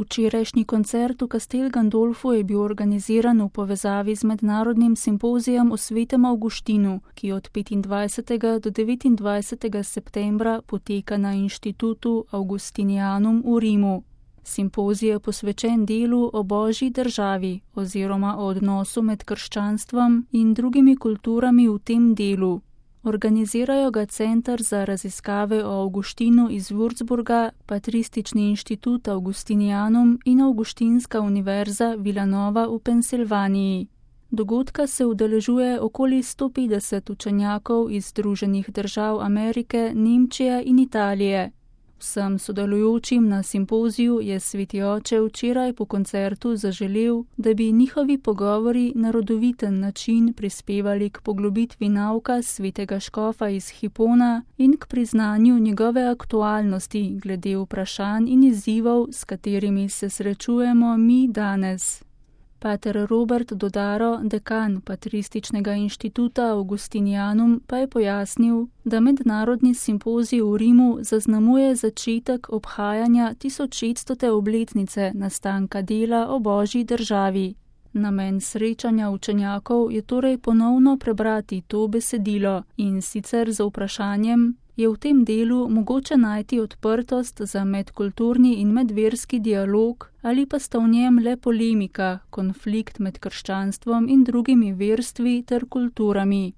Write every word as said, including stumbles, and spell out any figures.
Včerajšnji koncert v Castel Gandolfu je bil organiziran v povezavi z mednarodnim simpozijem o svetem Avguštinu, ki od petindvajsetega do devetindvajsetega septembra poteka na inštitutu Augustinianum v Rimu. Simpozij je posvečen delu o Božji državi oziroma o odnosu med krščanstvom in drugimi kulturami v tem delu. Organizirajo ga Center za raziskave o Avguštinu iz Würzburga, Patristični inštitut Augustinianum in Avguštinska univerza Villanova v Pensilvaniji. Dogodka se udeležuje okoli sto petdeset učenjakov iz Združenih držav Amerike, Nemčije in Italije. Vsem sodelujočim na simpoziju je Sveti oče včeraj po koncertu zaželel, da bi njihovi pogovori na rodoviten način prispevali k poglobitvi nauka svetega škofa iz Hipona in k priznanju njegove aktualnosti glede vprašanj in izzivov, s katerimi se srečujemo mi danes. Pater Robert Dodaro, dekan Patrističnega inštituta Augustinianum, pa je pojasnil, da mednarodni simpozij v Rimu zaznamuje začetek obhajanja tisočšeststote obletnice nastanka dela o Božji državi. Namen srečanja učenjakov je torej ponovno prebrati to besedilo in sicer z vprašanjem, je v tem delu mogoče najti odprtost za medkulturni in medverski dialog ali pa sta v njem le polemika, konflikt med krščanstvom in drugimi verstvi ter kulturami.